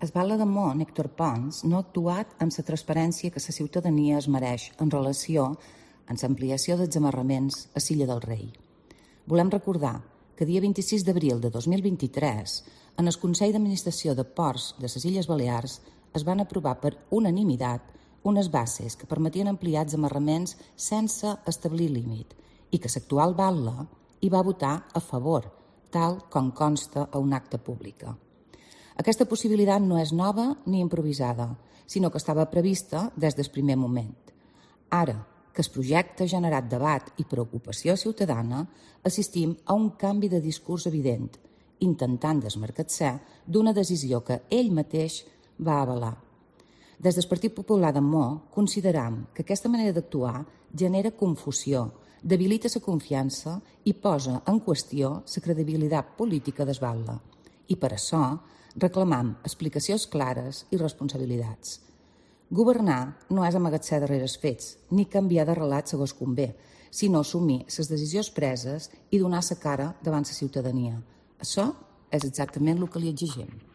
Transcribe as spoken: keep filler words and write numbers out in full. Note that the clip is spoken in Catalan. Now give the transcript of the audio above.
El batlle de Mont, Héctor Pons, no ha actuat amb la transparència que la ciutadania es mereix en relació amb l'ampliació dels amarraments a l'Illa del Rei. Volem recordar que dia vint-i-sis d'abril de dos mil vint-i-tres, en el Consell d'Administració de Ports de les Illes Balears es van aprovar per unanimitat unes bases que permetien ampliar els amarraments sense establir límit i que l'actual batlle hi va votar a favor, tal com consta a un acte pública. Aquesta possibilitat no és nova ni improvisada, sinó que estava prevista des del primer moment. Ara que el projecte ha generat debat i preocupació ciutadana, assistim a un canvi de discurs evident, intentant desmarcar-se d'una decisió que ell mateix va avalar. Des del Partit Popular de Mó consideram que aquesta manera d'actuar genera confusió, debilita la confiança i posa en qüestió la credibilitat política del batlle. I per això reclamam explicacions clares i responsabilitats. Governar no és amagar-se darrere els fets ni canviar de relat segons convé, sinó assumir les decisions preses i donar la cara davant la ciutadania. Això és exactament el que li exigim.